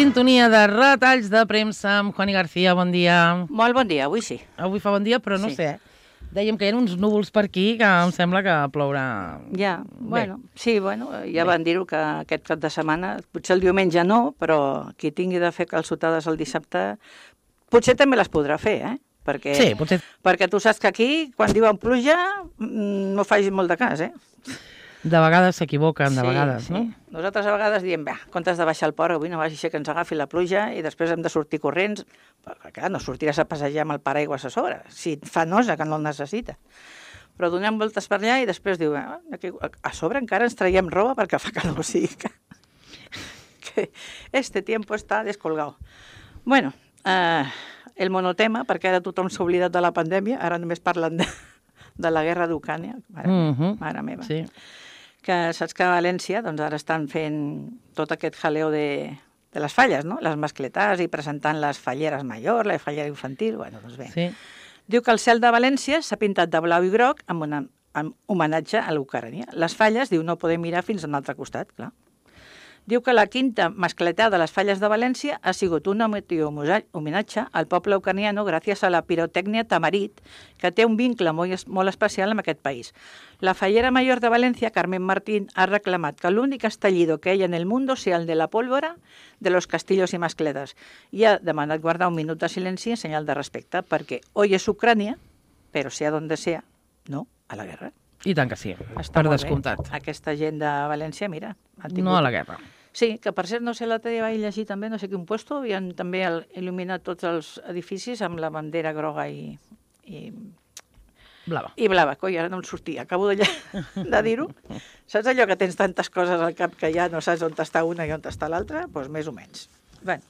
Sintonia de retalls de premsa amb Juani García, bon dia. Molt bon dia, avui sí. Avui fa bon dia, però no sé. Dèiem que hi ha uns núvols per aquí que em sembla que plourà. Ja, bueno, sí, ja van dir-ho que aquest cap de setmana, potser el diumenge no, però qui tingui de fer calçotades el dissabte, potser també les podrà fer, Perquè, sí, potser. Perquè tu saps que aquí, quan diuen pluja, no facis molt de cas, De vegades s'equivoquen, de vegades, no? Nosaltres a vegades diem, en comptes de baixar al port, avui no vagi a ser que ens agafi la pluja i després hem de sortir corrents, perquè clar, no sortiràs a passejar amb el paraigües a sobre, si fa nosa que no el necessita. Però donem voltes per allà i després diu, a sobre encara ens traiem roba perquè fa calor, o sigui que este tiempo está descolgado. Bueno, el monotema, perquè ara tothom s'ha oblidat de la pandèmia, ara només parlen de la guerra d'Ucrània, mare meva. Sí. Que saps que a València doncs ara estan fent tot aquest jaleo de les falles, no? Les mascletats i presentant les falleres major, la fallera infantil, doncs bé. Sí. Diu que el cel de València s'ha pintat de blau i groc amb homenatge a l'Ucrània. Les falles, diu, no podem mirar fins a un altre costat, clar. Diu que la quinta mascletada de les falles de València ha sigut un homenatge al poble ucraniano gràcies a la pirotècnia Tamarit, que té un vincle molt especial amb aquest país. La fallera mayor de Valencia, Carmen Martín, ha reclamat que l'únic estallido que hay en el mundo sea el de la pólvora de los castillos y mascletas i ha demanat guardar un minut de silenci en senyal de respecte, perquè hoy es Ucrània, però sea donde sea, no a la guerra. I tant que sí, Està per molt descomptat. bé. Aquesta gent de València, mira... No a la guerra. Sí, que per cert, no sé, l'altre dia vaig llegir també, no sé quin puesto, havien també il·luminat tots els edificis amb la bandera groga i Blava. i blava. Coi, ara no em sortia, acabo de dir-ho. Saps allò que tens tantes coses al cap que ja no saps on està una i on està l'altra? Doncs més o menys. Bé.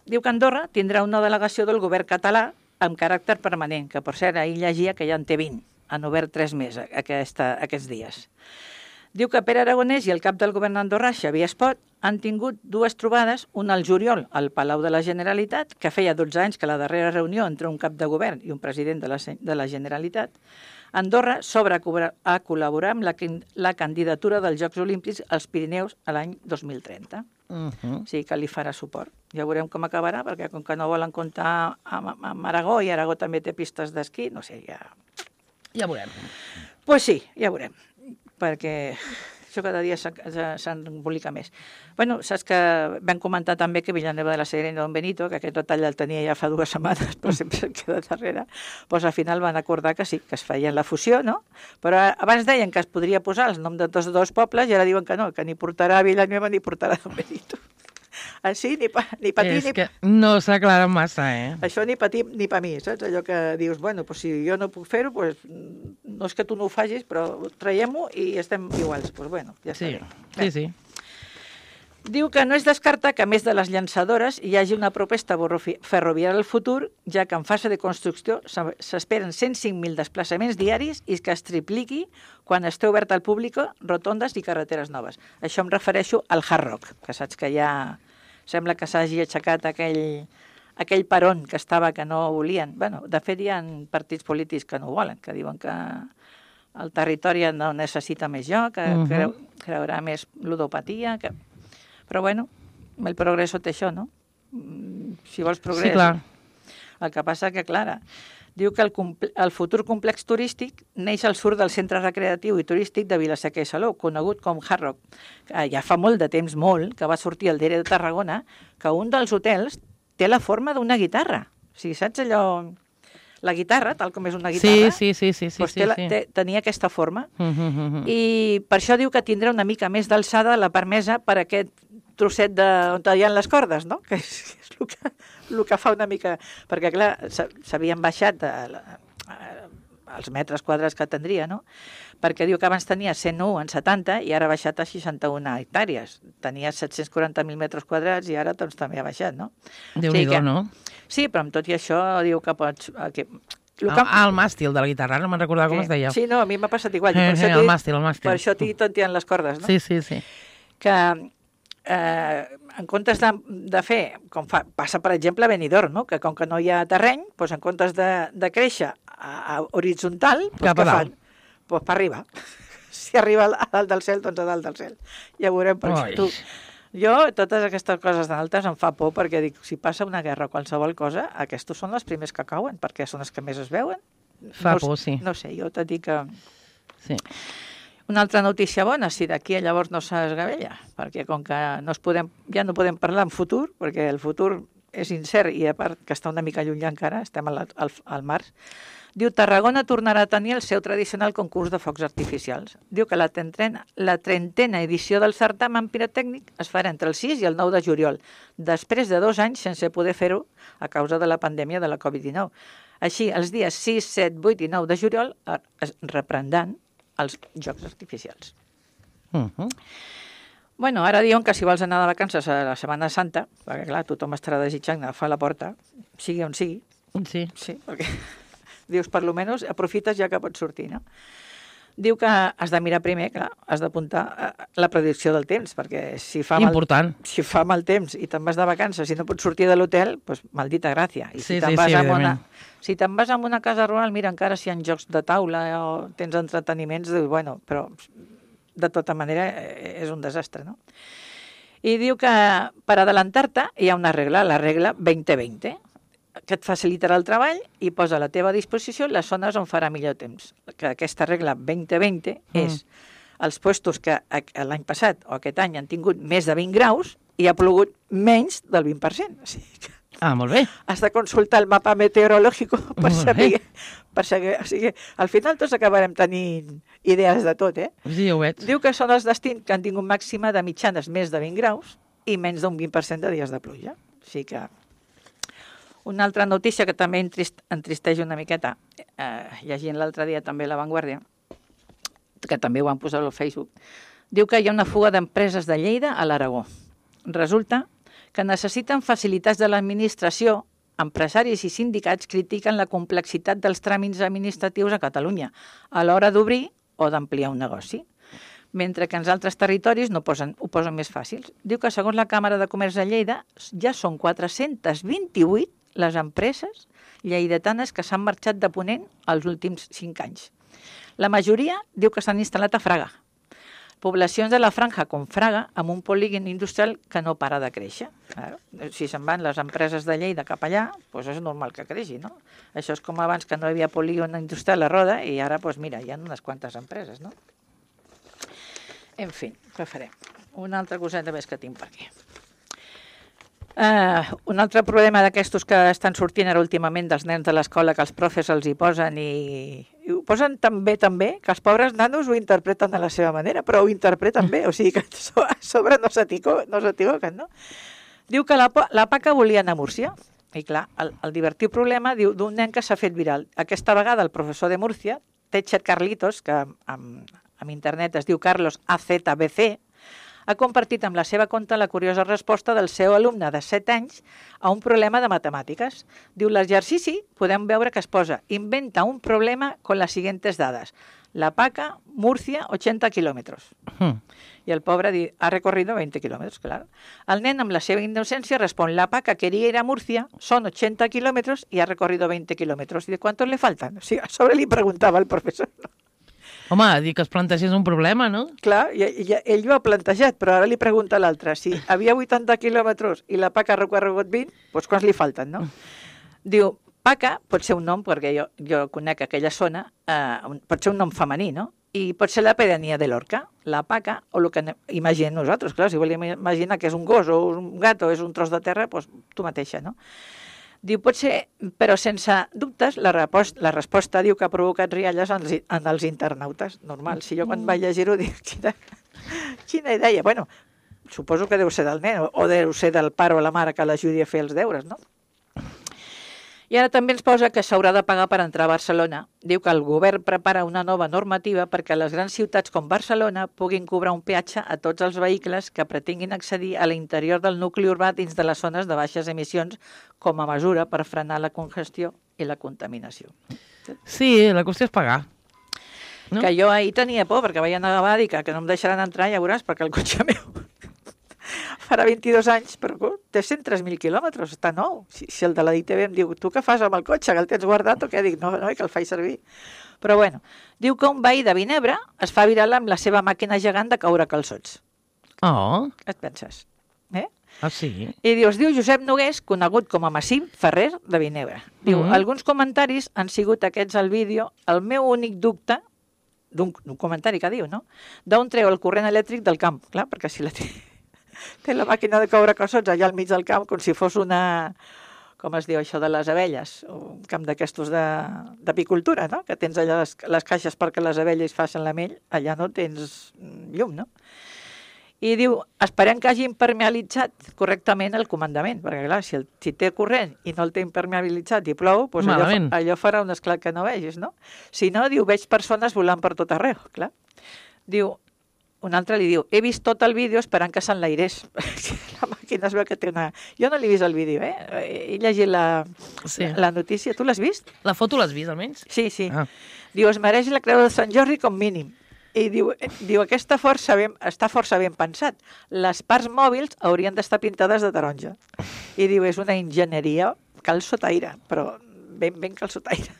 Diu que Andorra tindrà una delegació del govern català amb caràcter permanent, que per cert ahir llegia que ja en té 20, han obert 3 més aquests dies. Diu que Pere Aragonès i el cap del govern andorrà, Xavier Espot, han tingut 2 trobades, una al juliol al Palau de la Generalitat, que feia 12 anys que la darrera reunió entre un cap de govern i un president de la Generalitat. Andorra s'obre a col·laborar amb la candidatura dels Jocs Olímpics als Pirineus a l'any 2030. O sigui que li farà suport. Ja veurem com acabarà, perquè com que no volen comptar amb Aragó, i Aragó també té pistes d'esquí, no sé, ja... Ja veurem. Pues sí, ja veurem, perquè això cada dia s'embolica més. Bueno, saps que vam comentar també que Villanueva de la Serena i Don Benito, que aquest detall el tenia ja fa 2 setmanes, però sempre em queda darrere, doncs al final van acordar que sí, que es feien la fusió, no? Però abans deien que es podria posar el nom de tots 2 pobles i ara diuen que no, que ni portarà Villanueva ni portarà Don Benito. Així, ni pa ti, És que no s'aclara massa, Això ni pa ti ni pa mi, saps? Allò que dius, bueno, pues si jo no puc fer-ho, pues no és que tu no ho facis, però traiem-ho i estem iguals. Pues bueno, ja està bé. Sí. Diu que no es descarta que, a més de les llançadores, hi hagi una proposta ferroviària al futur, ja que en fase de construcció s'esperen 105.000 desplaçaments diaris i que es tripliqui quan esté obert al públic rotondes i carreteres noves. Això em refereixo al Hard Rock, que saps que ja sembla que s'hagi aixecat aquell peron que estava que no volien. Bueno, de fet, hi ha partits polítics que no ho volen, que diuen que el territori no necessita més joc, que creurà més ludopatia, que... Però, bueno, el progreso té això, no? Si vols progrés... Sí, clar. El que passa que, clar, diu que el futur complex turístic neix al sud del centre recreatiu i turístic de Vila-seca i Salou, conegut com Hard Rock. Ja fa molt de temps, que va sortir el diari de Tarragona, que un dels hotels té la forma d'una guitarra. O sigui, saps allò... La guitarra, tal com és una guitarra, tenia aquesta forma. I per això diu que tindrà una mica més d'alçada la permesa per aquest trosset on hi ha les cordes, no? Que és el que fa una mica... Perquè, clar, s'havien baixat els metres quadrats que tindria, no? Perquè diu que abans tenia 101 en 70 i ara ha baixat a 61 hectàrees. Tenia 740.000 metres quadrats i ara doncs també ha baixat, no? Déu-n'hi-do, no? Sí, però amb tot i això diu que pots... El màstil de la guitarra, no me'n recordava com es deia. Sí, no, a mi m'ha passat igual. El màstil. Per això t'hi tonteant les cordes, no? Sí. Que en comptes de fer, com passa per exemple a Benidorm, no? Que com que no hi ha terreny, doncs en comptes de créixer horitzontal, cap a dalt. Pues per arriba. si arriba a dalt del cel, doncs a dalt del cel. Ja ho veurem, perquè tu... Jo, totes aquestes coses tan altes em fa por, perquè dic, si passa una guerra o qualsevol cosa, aquests són els primers que cauen, perquè són els que més es veuen. Fa por, sí. No sé, jo t'he dit que... Sí. Una altra notícia bona, si d'aquí a llavors no s'esgavella, perquè com que ja no podem parlar en futur, perquè el futur és incert i a part que està una mica lluny encara, estem al març, diu Tarragona tornarà a tenir el seu tradicional concurs de focs artificials. Diu que la trentena edició del certamen pirotècnic es farà entre el 6 i el 9 de juliol, després de 2 anys sense poder fer-ho a causa de la pandèmia de la Covid-19. Així, els dies 6, 7, 8 i 9 de juliol es reprendran els jocs artificials. Bueno, ara diuen que si vols anar de vacances a la Setmana Santa, perquè clar, tothom estarà desitjant agafar la porta, sigui on sigui. Sí. Sí, perquè dius, per lo menos, aprofites ja que pots sortir, no? Diu que has de mirar primer, clar, has d'apuntar la predicció del temps, perquè si fa mal temps i te'n vas de vacances i no pots sortir de l'hotel, doncs maldita gràcia. I si te'n vas a una casa rural, mira, encara si hi ha jocs de taula o tens entreteniments, dius, bueno, però de tota manera és un desastre, no? I diu que per adelantar-te hi ha una regla, la regla 2020, que et facilitarà el treball i posa a la teva disposició les zones on farà millor temps. Que aquesta regla 2020 és els puestos que l'any passat o aquest any han tingut més de 20 graus i ha plogut menys del 20%. O sigui que molt bé. Has de consultar el mapa meteorològic per saber. O sigui, al final tots acabarem tenint idees de tot, eh? Sí, ho veig. Diu que són els destins que han tingut màxima de mitjanes més de 20 graus i menys d'un 20% de dies de pluja. O sigui que... Una altra notícia que també entristeix una miqueta, llegint l'altre dia també La Vanguardia, que també ho van posar al Facebook, diu que hi ha una fuga d'empreses de Lleida a l'Aragó. Resulta que necessiten facilitats de l'administració, empresaris i sindicats critiquen la complexitat dels tràmits administratius a Catalunya a l'hora d'obrir o d'ampliar un negoci, mentre que en altres territoris ho posen més fàcils. Diu que segons la Càmera de Comerç de Lleida ja són 428 les empreses lleidatanes que s'han marxat de Ponent els últims 5 anys. La majoria diu que s'han instal·lat a Fraga. Poblacions de la franja com Fraga, amb un polígon industrial que no para de créixer. Claro, si se'n van les empreses de Lleida cap allà, doncs és normal que creixi, no? Això és com abans que no hi havia polígon industrial a Roda i ara, doncs mira, hi ha unes quantes empreses, no? En fi, què farem? Una altra coseta més que tinc per aquí. Un altre problema d'aquestos que estan sortint ara últimament dels nens de l'escola, que els profes els hi posen i ho posen tan bé que els pobres nanos ho interpreten de la seva manera, però ho interpreten bé, o sigui que a sobre no s'equivoquen, no? Diu que la PACA volia anar a Múrcia, i clar, el divertit problema diu d'un nen que s'ha fet viral. Aquesta vegada el professor de Múrcia, Techer Carlitos, que en internet es diu Carlos AZBC, ha compartit amb la seva compte la curiosa resposta del seu alumne de 7 anys a un problema de matemàtiques. Diu, l'exercici podem veure que es posa inventa un problema con las siguientes dades. La PACA, Murcia, 80 kilómetros. I el pobre ha recorrido 20 kilómetros, claro. El nen, amb la seva innocència, respon, la PACA quería ir a Murcia, son 80 kilómetros y ha recorrido 20 kilómetros. ¿Y de cuántos le faltan? O sigui, a sobre li preguntava el professor. Home, dir que es plantegés un problema, no? Clar, ell ho ha plantejat, però ara li pregunta a l'altre. Si havia 80 quilòmetres i la PACA ha recorregut 20, doncs quants li falten, no? Diu, PACA pot ser un nom, perquè jo conec aquella zona, pot ser un nom femení, no? I pot ser la pedania de Lorca, la PACA, o el que imaginem nosaltres. Clar, si volem imaginar que és un gos o un gat o és un tros de terra, doncs tu mateixa, no? Diu, pot ser, però sense dubtes, la resposta diu que ha provocat rialles en els internautes. Normal, si jo quan vaig llegir-ho dic, quina idea. Bueno, suposo que deu ser del nen, o deu ser del pare o la mare que l'ajudi a fer els deures, no? I ara també ens posa que s'haurà de pagar per entrar a Barcelona. Diu que el govern prepara una nova normativa perquè les grans ciutats com Barcelona puguin cobrar un peatge a tots els vehicles que pretenguin accedir a l'interior del nucli urbà dins de les zones de baixes emissions com a mesura per frenar la congestió i la contaminació. Sí, la qüestió és pagar. No? Que jo ahir tenia por perquè vaig anar a Bàdica, que no em deixaran entrar, ja veuràs, perquè el cotxe meu farà 22 anys, però té 103.000 quilòmetres, està nou. Si el de la DTV em diu, tu què fas amb el cotxe, que el tens guardat o què? Dic, no, que el faig servir. Però bueno, diu que un veí de Vinebre es fa viral amb la seva màquina gegant de caure calçots. Oh, Què et penses? sí. I diu, es diu Josep Nogués, conegut com a Massim Ferrer de Vinebre. Diu, alguns comentaris han sigut aquests al vídeo. El meu únic dubte, d'un comentari que diu, no? D'on treu el corrent elèctric del camp. Clar, perquè si té la màquina de caure calçots allà al mig del camp, com si fos una... Com es diu això de les abelles? Un camp d'aquestos d'apicultura, no? Que tens allà les caixes perquè les abelles facin la mel, allà no tens llum, no? I diu, esperem que hagi impermeabilitzat correctament el comandament, perquè clar, si té corrent i no el té impermeabilitzat i plou, doncs allò farà un esclat que no vegis, no? Si no, diu, veig persones volant per tot arreu, clar. Diu, un altre li diu, he vist tot el vídeo esperant que s'enlairés. La màquina es veu que té una... Jo no l'he vist el vídeo, He llegit la notícia. Tu l'has vist? La foto l'has vist, almenys? Sí. Diu, es mereix la creu de Sant Jordi com mínim. I diu aquesta està força ben pensat. Les parts mòbils haurien d'estar pintades de taronja. I diu, és una enginyeria calçotaire, però ben calçotaire.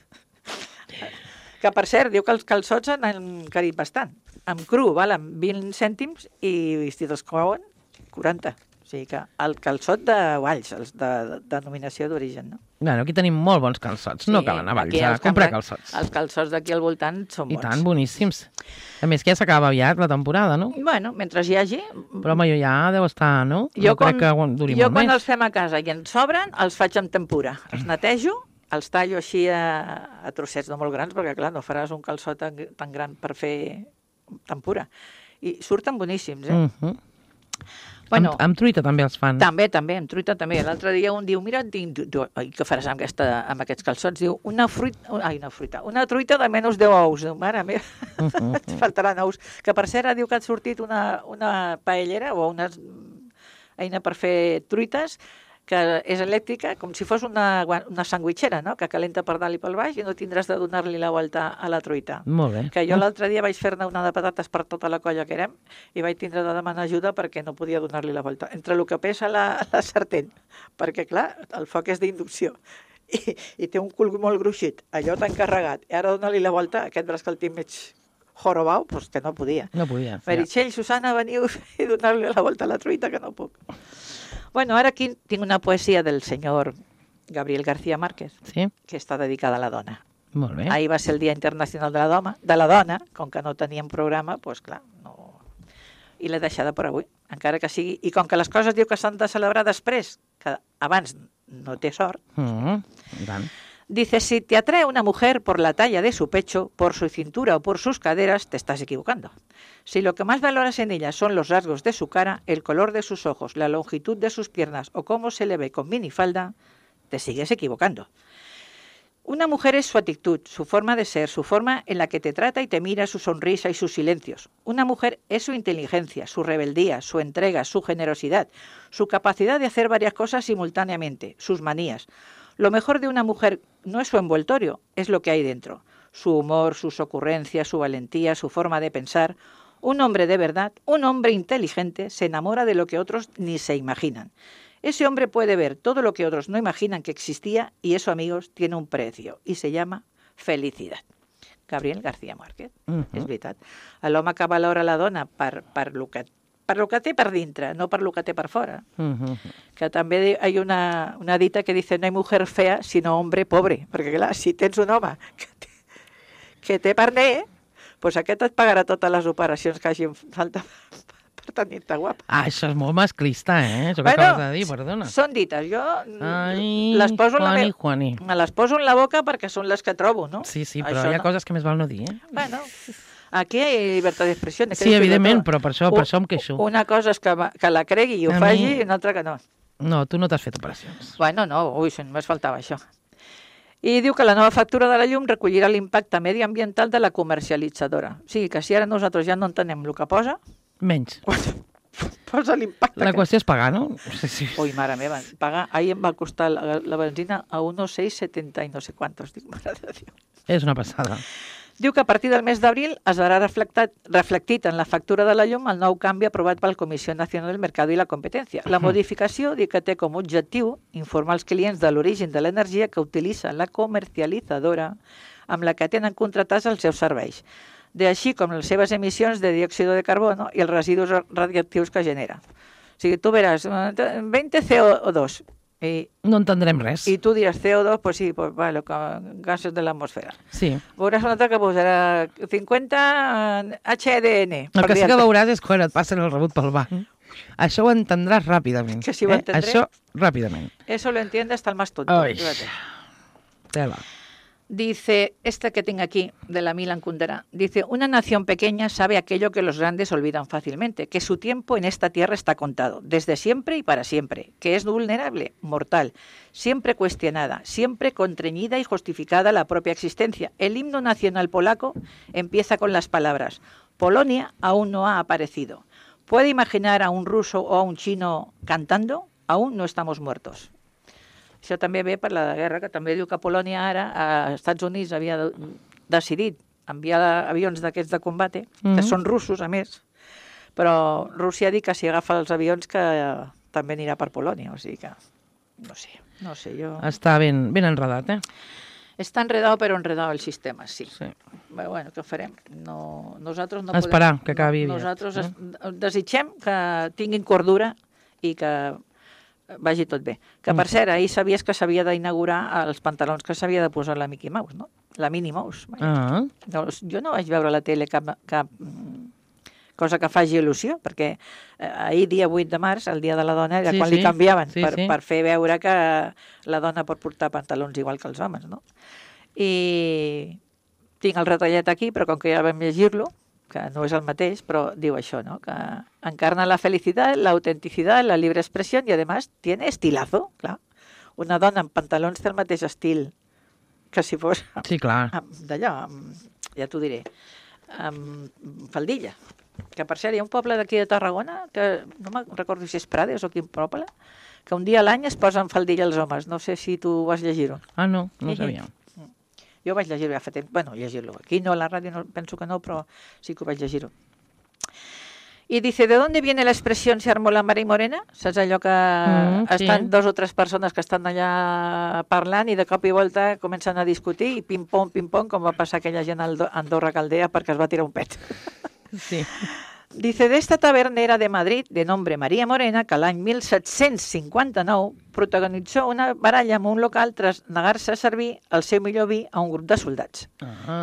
Que, per cert, diu que els calçots han encarit bastant. Amb cru valen 20 cèntims i si te'ls couen, 40. O sigui que el calçot de Valls, els de denominació d'origen, no? Bueno, aquí tenim molt bons calçots. No cal anar a Valls a comprar calçots. Els calçots d'aquí al voltant són bons. I tant, boníssims. A més que ja s'acaba aviat la temporada, no? Bueno, mentre hi hagi... Però home, ja deu estar, no? Jo crec que duri molt més. Jo quan els fem a casa i ens sobren, els faig amb tempura. Els netejo, els tallo així a trossets no molt grans, perquè clar, no faràs un calçot tan gran per fer tempura. I surten boníssims, Bueno, amb truita també els fan. També, amb truita també. L'altre dia un diu, mira, què faràs amb aquests calçots? Diu, una truita de menys 10 ous. Diu, mare meva, et faltaran ous. Que per cert, diu que ha sortit una paellera o una eina per fer truites que és elèctrica, com si fos una sandwitxera, no? Que calenta per dalt i pel baix i no tindràs de donar-li la volta a la truita. Molt bé. Que jo l'altre dia vaig fer-ne una de patates per tota la colla que érem i vaig tindre de demanar ajuda perquè no podia donar-li la volta. Entre el que pesa la sartén, perquè clar, el foc és d'inducció i té un cul molt gruixit, allò tan carregat, i ara donar-li la volta, aquest braç que el tinc mig jorobau, doncs que no podia. No podia. Meritxell, Susana, veniu i donar-li la volta a la truita, que no puc. Bueno, ara aquí tinc una poesia del senyor Gabriel García Márquez, que està dedicada a la dona. Molt bé. Ahir va ser el Dia Internacional de la Dona, com que no teníem programa, doncs clar, no... I l'he deixada per avui, encara que sigui... I com que les coses diu que s'han de celebrar després, que abans no té sort, dice, si te atrae una mujer por la talla de su pecho, por su cintura o por sus caderas, te estás equivocando. Si lo que más valoras en ella son los rasgos de su cara, el color de sus ojos, la longitud de sus piernas o cómo se le ve con minifalda, te sigues equivocando. Una mujer es su actitud, su forma de ser, su forma en la que te trata y te mira, su sonrisa y sus silencios. Una mujer es su inteligencia, su rebeldía, su entrega, su generosidad, su capacidad de hacer varias cosas simultáneamente, sus manías. Lo mejor de una mujer no es su envoltorio, es lo que hay dentro. Su humor, sus ocurrencias, su valentía, su forma de pensar. Un hombre de verdad, un hombre inteligente, se enamora de lo que otros ni se imaginan. Ese hombre puede ver todo lo que otros no imaginan que existía y eso, amigos, tiene un precio y se llama felicidad. Gabriel García Márquez, és veritat. L'home que valora la dona per lo que té per dintre, no per lo que té per fora. Que també hi ha una dita que dice no hay mujer fea sino hombre pobre, perquè clar, si tens un home que té parner, doncs aquest et pagarà totes les operacions que hagin falta per tenir-te guapa. Això és molt masclista, això que acabes de dir, perdona. Són dites, jo les poso me les poso en la boca perquè són les que trobo, no? Sí, però hi ha coses que més val no dir, Bueno, aquí hi ha llibertat d'expressió. Sí, evidentment, però per això em queixo. Una cosa és que la cregui i ho faci i una altra que no. No, tu no t'has fet operacions. Bueno, no, només faltava això. I diu que la nova factura de la llum recollirà l'impacte mediambiental de la comercialitzadora. O sigui, que si ara nosaltres ja no entenem el que posa... Menys. Posa l'impacte. La qüestió és pagar, no? Sí. Ui, mare meva, pagar... Ahir em va costar la benzina a 1,670 i no sé quantos. Dic, mare de Déu. És una passada. Diu que a partir del mes d'abril es verà reflectit en la factura de la llum el nou canvi aprovat per la Comissió Nacional del Mercado i la Competència. La modificació diu que té com a objectiu informar els clients de l'origen de l'energia que utilitza la comercialitzadora amb la que tenen contractats els seus serveis, així com les seves emissions de diòxid de carbono i els residus radioactius que genera. O sigui, tu veràs 20 CO2 i No entendrem res. i tu diràs CO2, pues sí, pues vale, gasos de l'atmosfera. Sí. Veuràs una altra que posarà 50 HDN. El que sí que veuràs és quan et passen el rebut pel banc. Això ho entendràs ràpidament. Que sí ho entendré. Això, ràpidament. Eso lo entiende hasta el más tonto. Ai. Fíjate. Tela. Dice, esta que tengo aquí, de la Milan Kundera, dice, una nación pequeña sabe aquello que los grandes olvidan fácilmente, que su tiempo en esta tierra está contado, desde siempre y para siempre, que es vulnerable, mortal, siempre cuestionada, siempre contrañida y justificada la propia existencia. El himno nacional polaco empieza con las palabras, Polonia aún no ha aparecido. ¿Puede imaginar a un ruso o a un chino cantando? Aún no estamos muertos. Això també ve per la guerra, que també diu que Polònia ara, als Estats Units, havia decidit enviar avions d'aquests de combate, que són russos, a més, però Rússia ha dit que si agafa els avions que també anirà per Polònia, o sigui que, no sé, jo... Està ben enredat, Està enredado, però enredado el sistema, sí. Sí. Bueno, què farem? Nosaltres no Esperar podem... que acabi aviat. Nosaltres desitgem que tinguin cordura i que vagi tot bé. Que, per cert, ahir sabies que s'havia d'inaugurar els pantalons que s'havia de posar la Mickey Mouse, no? La Minnie Mouse. Doncs jo no vaig veure a la tele cap cosa que faci il·lusió, perquè ahir, dia 8 de març, el dia de la dona, era quan li canviaven, per fer veure que la dona pot portar pantalons igual que els homes, no? I tinc el retallet aquí, però com que ja vam llegir-lo, que no és el mateix, però diu això, ¿no? Que encarna la felicidad, la autenticidad, la libre expresión y además tiene estilazo, clar. Una dona amb pantalons té el mateix estil que si fos d'allò, ja t'ho diré, amb faldilla. Que per cert, hi ha un poble d'aquí de Tarragona, que no me'n recordo si és Prades o quin poble, que un dia a l'any es posen faldilla els homes. No sé si tu vas llegir-ho. Ah, no sabia. Jo vaig llegir-ho ja fa temps. Bueno, llegir-lo. Aquí no, a la ràdio no, penso que no, però sí que ho vaig llegir-ho. Y dice, ¿de dónde viene la expresión se armó la mar y morena? Saps allò que estan dos o tres persones que estan allà parlant i de cop i volta comencen a discutir i pim-pom, com va passar aquella gent a Andorra Caldea perquè es va tirar un pet. Sí. Dice, de esta tabernera de Madrid, de nombre María Morena, que l'any 1759 protagonitzó una baralla en un local tras negar-se a servir el seu millor vi a un grup de soldats.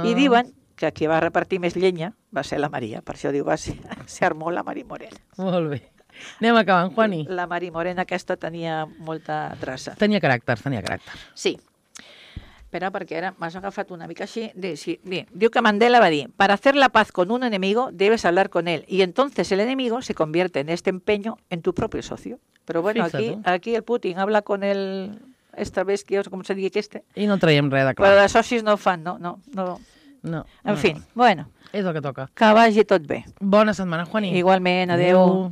I diuen que qui va repartir més llenya va ser la Maria, per això diu, se armó la María Morena. Molt bé. Anem acabant, Juani. La María Morena aquesta tenia molta traça. Tenia caràcter. Sí. Espera, perquè ara m'has agafat una mica així. Diu que Mandela va dir, para hacer la paz con un enemigo debes hablar con él y entonces el enemigo se convierte en este empeño en tu propio socio. Pero bueno, aquí el Putin habla con el Stravinsky, o com se digui este. I no traiem res de clar. Però de socis no ho fan, no. En fi, bueno. És el que toca. Que vagi tot bé. Bona setmana, Juani. Igualment, adeu.